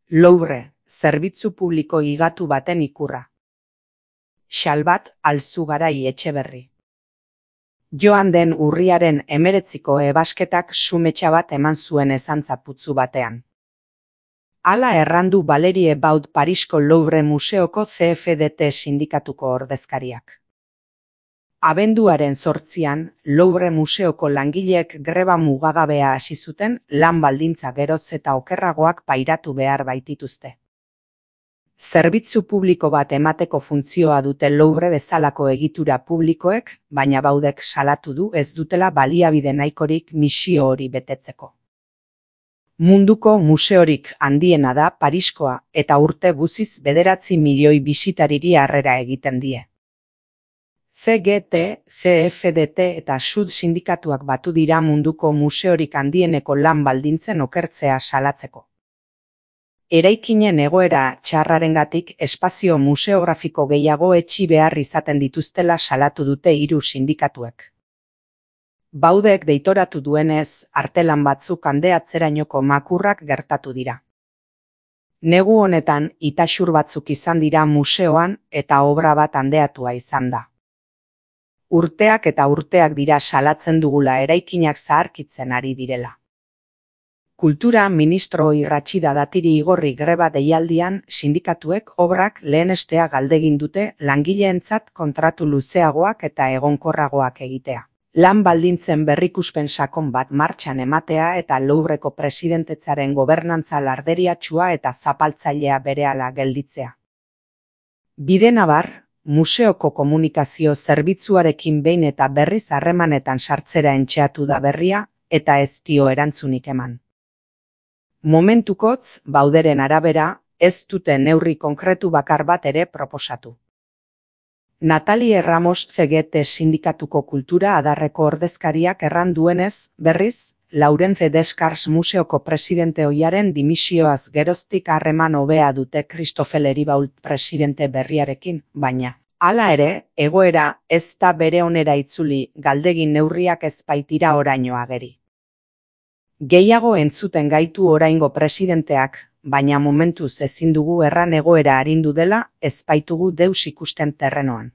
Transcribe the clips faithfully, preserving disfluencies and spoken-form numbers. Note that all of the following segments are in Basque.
Louvre, zerbitzu publiko higatu baten ikurra. Xalbat Alzugarai Etxeberri. Joan den urriaren hemeretziko ebasketak sumetxa bat eman zuen ezantza putzu batean. Hala errandu Valerie Baud Parisko Louvre Museoko C F D T sindikatuko ordezkariak. Abenduaren zortzian, Louvre Museoko langileek greba mugagabea hasi zuten lan baldintza geroz eta okerragoak pairatu behar baitituzte. Zerbitzu publiko bat emateko funtzioa dute Louvre bezalako egitura publikoek, baina Baudek salatu du ez dutela baliabide nahikorik misio hori betetzeko. Munduko museorik handiena da Pariskoa eta urte guziz bederatzi milioi bisitariri harrera egiten die. C G T, C F D T eta Sud sindikatuak batu dira munduko museorik handieneko lan baldintzen okertzea salatzeko. Eraikinen egoera txarrarengatik espazio museografiko gehiago etxi behar izaten dituztela salatu dute hiru sindikatuek. Baudek deitoratu duenez, artelan batzuk handeatzerainoko makurrak gertatu dira. Negu honetan itaxur batzuk izan dira museoan eta obra bat handeatua izan da. Urteak eta urteak dira salatzen dugula eraikinak zaharkitzen ari direla. Kultura ministro Irratxida Datiri igorri greba deialdian sindikatuek obrak lehenestea galdegin dute langileentzat kontratu luzeagoak eta egonkorragoak egitea. Lan baldintzen berrikuspen sakon bat martxan ematea eta Louvreko presidentetzaren gobernantza larderiatsua eta zapaltzailea berehala gelditzea. Bidenabar, museoko komunikazio zerbitzuarekin behin eta berriz harremanetan sartzera entxeatu da berria eta ez dio erantzunik eman. Momentukotz, Bauderen arabera, ez dute neurri konkretu bakar bat ere proposatu. Natalie Ramos C G T sindikatuko kultura adarreko ordezkariak erran duenez, berriz, Laurence Descartes museoko presidente ohiaren dimisioaz geroztik harreman hobea dute Christophe Leribault presidente berriarekin, baina, hala ere, egoera ez da bere onera itzuli galdegin neurriak ez baitira oraino ageri. Gehiago entzuten gaitu oraingo presidenteak, baina momentuz ezin dugu erran egoera arindu dela ez baitugu deus ikusten terrenoan.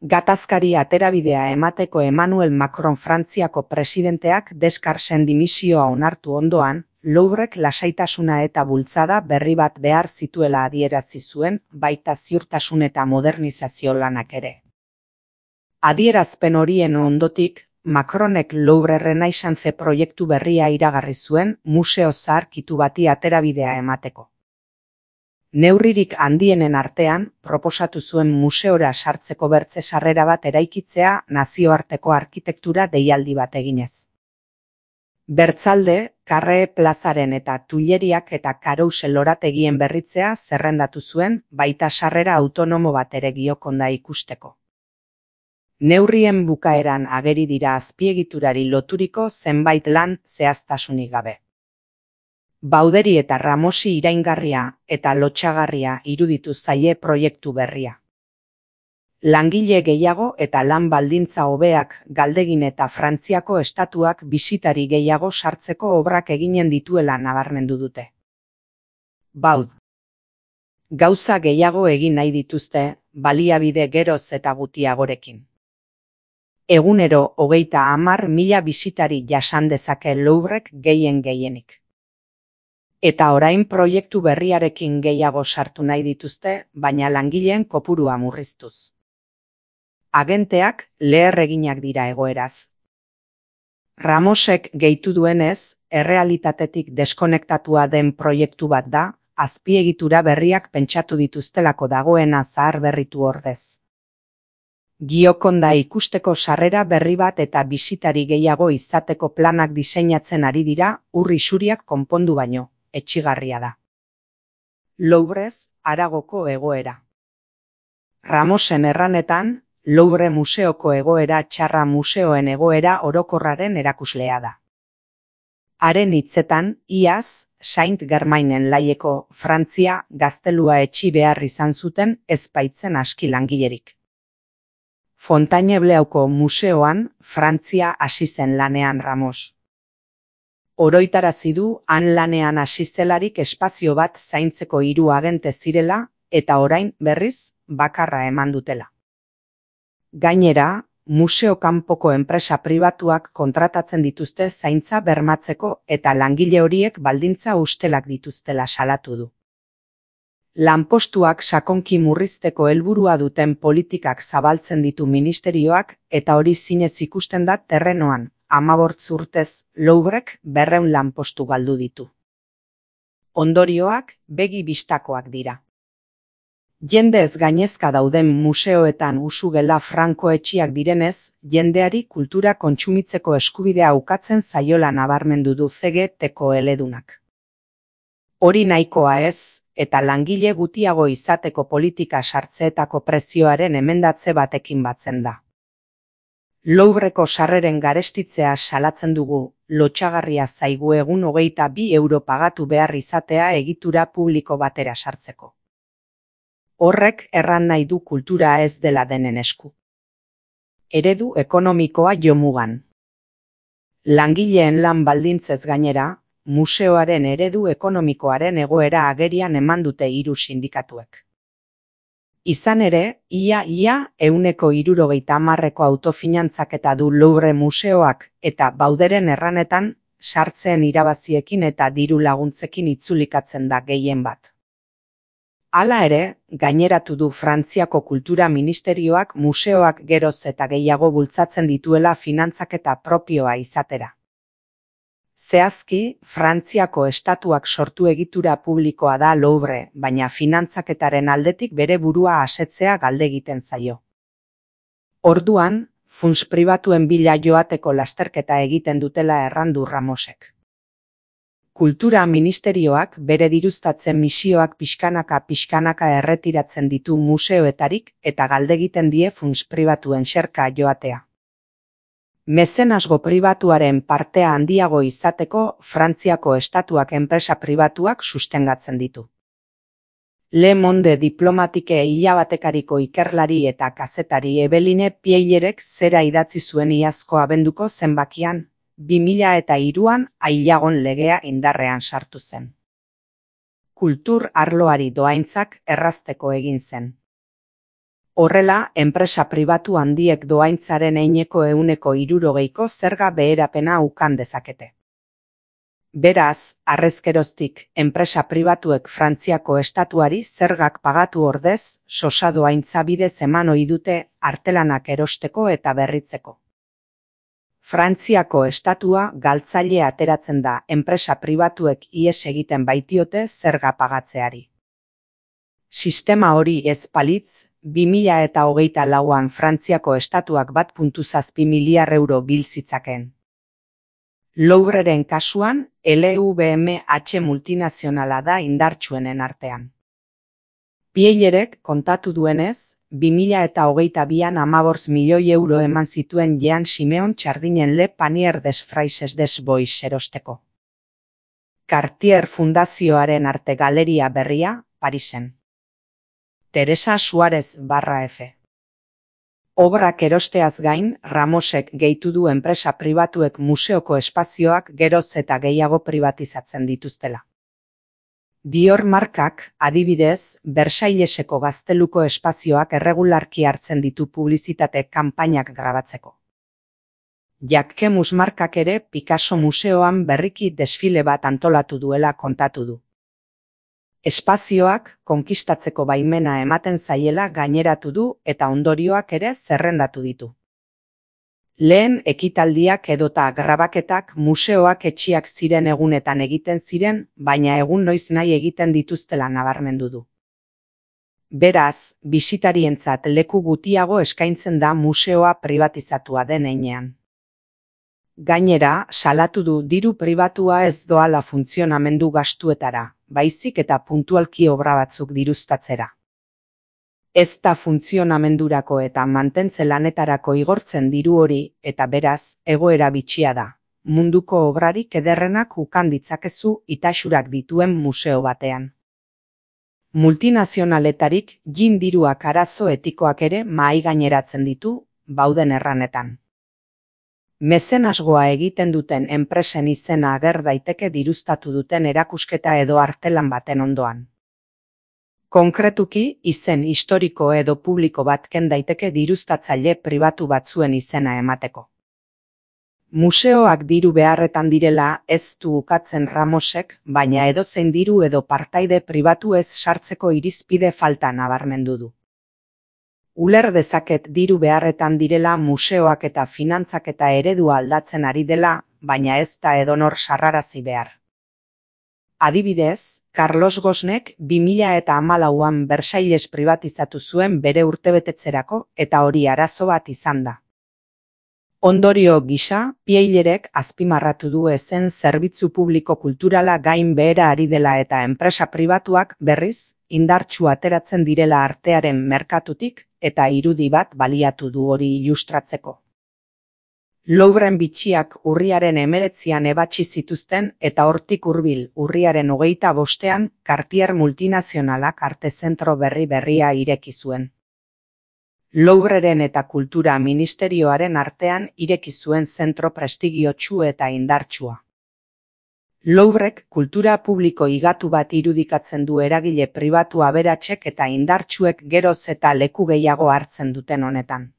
Gatazkari aterabidea emateko Emmanuel Macron Frantziako presidenteak Descartesen dimisioa onartu ondoan, Louvrek lasaitasuna eta bultzada berri bat behar zituela adierazi zuen, baita ziurtasun eta modernizazio lanak ere. Adierazpen horien ondotik, Macronek Louvre Renaissance proiektu berria iragarri zuen museo zaharkitu bati aterabidea emateko. Neurririk handienen artean, proposatu zuen museora sartzeko bertze sarrera bat eraikitzea nazioarteko arkitektura deialdi bat eginez. Bertzalde, Carré plazaren eta Tuileriak eta Carousel lorategien berritzea zerrendatu zuen, baita sarrera autonomo bat ere Giokonda ikusteko. Neurrien bukaeran ageri dira azpiegiturari loturiko zenbait lan zehaztasunik gabe. Bauderi eta Ramosi iraingarria eta lotsagarria iruditu zaie proiektu berria. Langile gehiago eta lan baldintza hobeak galdegin eta Frantziako estatuak bisitari gehiago sartzeko obrak eginen dituela nabarmendu dute. Baud. Gauza gehiago egin nahi dituzte, baliabide geroz eta gutiagorekin. Egunero hogeita hamar mila bisitari jasan dezake Louvrek gehien gehienik. Eta orain proiektu berriarekin gehiago sartu nahi dituzte, baina langileen kopurua murriztuz. Agenteak leherreginak dira egoeraz. Ramosek gehitu duenez, errealitatetik deskonektatua den proiektu bat da, azpiegitura berriak pentsatu dituztelako dagoena zahar berritu ordez. Giokonda ikusteko sarrera berri bat eta bisitari gehiago izateko planak diseinatzen ari dira, urri xuriak konpondu baino, etxigarria da. Louvrez, haragoko egoera. Ramosen erranetan, Louvre museoko egoera txarra museoen egoera orokorraren erakuslea da. Haren hitzetan, iaz, Saint Germainen laieko Frantzia gaztelua etxi behar izan zuten ez baitzen aski langilerik. Fontainebleauko museoan Frantzia hasi zen lanean Ramos. Oroitarazi du han lanean hasi zelarik espazio bat zaintzeko hiru agente zirela eta orain berriz bakarra eman dutela. Gainera, museo kanpoko enpresa pribatuak kontratatzen dituzte zaintza bermatzeko eta langile horiek baldintza ustelak dituztela salatu du. Lanpostuak sakonki murrizteko helburua duten politikak zabaltzen ditu ministerioak eta hori zinez ikusten da terrenoan, hamabost urtez Louvrek berrehun lanpostu galdu ditu. Ondorioak begi bistakoak dira. Jendez gainezka dauden museoetan usugela franko etxiak direnez, jendeari kultura kontsumitzeko eskubidea ukatzen zaiola nabarmendu du C G T-ko eledunak. Hori nahikoa ez, eta langile gutiago izateko politika sartzeetako prezioaren emendatze batekin batzen da. Louvreko sarreren garestitzea salatzen dugu, lotsagarria zaigu egun hogeita bi euro pagatu behar izatea egitura publiko batera sartzeko. Horrek erran nahi du kultura ez dela denen esku. Eredu ekonomikoa jomugan. Langileen lan baldintzez gainera, museoaren eredu ekonomikoaren egoera agerian eman dute hiru sindikatuek. Izan ere, ia-ia ehuneko hirurogeita hamarreko autofinantzaketa du Louvre museoak eta Bauderen erranetan sartzeen irabaziekin eta diru laguntzekin itzulikatzen da gehien bat. Hala ere, gaineratu du Frantziako Kultura Ministerioak museoak geroz eta gehiago bultzatzen dituela finantzaketa propioa izatera. Zehazki, Frantziako estatuak sortu egitura publikoa da Louvre, baina finantzaketaren aldetik bere burua asetzea galde egiten zaio. Orduan, funts pribatuen bila joateko lasterketa egiten dutela errandu Ramosek. Kultura Ministerioak bere diruztatzen misioak pixkanaka-pixkanaka erretiratzen ditu museoetarik eta galde egiten die funts pribatuen xerka joatea. Mezenasgo pribatuaren partea handiago izateko Frantziako estatuak enpresa pribatuak sustengatzen ditu. Le Monde Diplomatike hilabatekariko ikerlari eta kazetari Eveline Pieyerek zera idatzi zuen iazko abenduko zenbakian, bi mila eta hiruan ailagon legea indarrean sartu zen. Kultur arloari dohaintzak errazteko egin zen. Horrela, enpresa pribatu handiek dohaintzaren eineko ehuneko hirurogeiko zerga beherapena ukan dezakete. Beraz, harrezkeroztik, enpresa pribatuek Frantziako estatuari zergak pagatu ordez, sosa dohaintza bidez eman ohi dute artelanak erosteko eta berritzeko. Frantziako estatua galtzaile ateratzen da enpresa pribatuek ihes egiten baitiote zerga pagatzeari. Sistema hori ez balitz, bi mila eta hogeita lauan Frantziako estatuak bat puntu zazpi miliar euro bil zitzaken. Louvreren kasuan, L V M H multinazionala da indartsuenen artean. Pieyerek kontatu duenez, bi mila eta hogeita bian hamabost milioi euro eman zituen Jean Simeon Txardinen Le Panier des Fraises des Bois erosteko. Cartier Fundazioaren arte galeria berria, Parisen. Teresa Suárez barra F. Obrak erosteaz gain, Ramosek gehitu du enpresa pribatuek museoko espazioak geroz eta gehiago pribatizatzen dituztela. Dior markak, adibidez, Versailleseko gazteluko espazioak erregularki hartzen ditu publizitate kanpainak grabatzeko. Jacquemus markak ere Picasso museoan berriki desfile bat antolatu duela kontatu du. Espazioak konkistatzeko baimena ematen zaiela gaineratu du eta ondorioak ere zerrendatu ditu. Lehen ekitaldiak edota grabaketak museoak etxiak ziren egunetan egiten ziren, baina egun noiz nahi egiten dituztela nabarmendu du. Beraz, bisitarientzat leku gutiago eskaintzen da museoa pribatizatua den heinean. Gainera, salatu du diru pribatua ez doala funtzionamendu gastuetara, baizik eta puntualki obra batzuk diruztatzera. Ez da funtzionamendurako eta mantentze lanetarako igortzen diru hori eta beraz, egoera bitxia da. Munduko obrarik ederrenak ukan ditzakezu itasurak dituen museo batean. Multinazionaletarik jin diruak arazo etikoak ere mahai gaineratzen ditu, Bauden erranetan. Mezenasgoa egiten duten enpresen izena ager daiteke diruztatu duten erakusketa edo artelan baten ondoan. Konkretuki, izen historiko edo publiko bat ken daiteke diruztatzaile pribatu batzuen izena emateko. Museoak diru beharretan direla ez du ukatzen Ramosek, baina edozein diru edo partaide pribatu ez sartzeko irizpide falta nabarmendu du. Uler dezaket diru beharretan direla museoak eta finantzak eta eredua aldatzen ari dela, baina ez da edonor sarrarazi behar. Adibidez, Carlos Ghosnek bi mila eta hamalauan Bersailes pribatizatu zuen bere urtebetetzerako eta hori arazo bat izan da. Ondorio gisa, Pieillerek azpimarratu du ezen zerbitzu publiko kulturala gain behera ari dela eta enpresa pribatuak berriz, indartsu ateratzen direla artearen merkatutik eta irudi bat baliatu du hori ilustratzeko. Louvren bitxiak urriaren hemeretzian ebatsi zituzten eta hortik hurbil urriaren hogeita bostean Cartier multinazionalak arte zentro berri berria ireki zuen. Louvreren eta Kultura Ministerioaren artean ireki zuen zentro prestigiotsu eta indartsua. Louvrek kultura publiko higatu bat irudikatzen du eragile pribatu aberatsek eta indartsuek geroz eta leku gehiago hartzen duten honetan.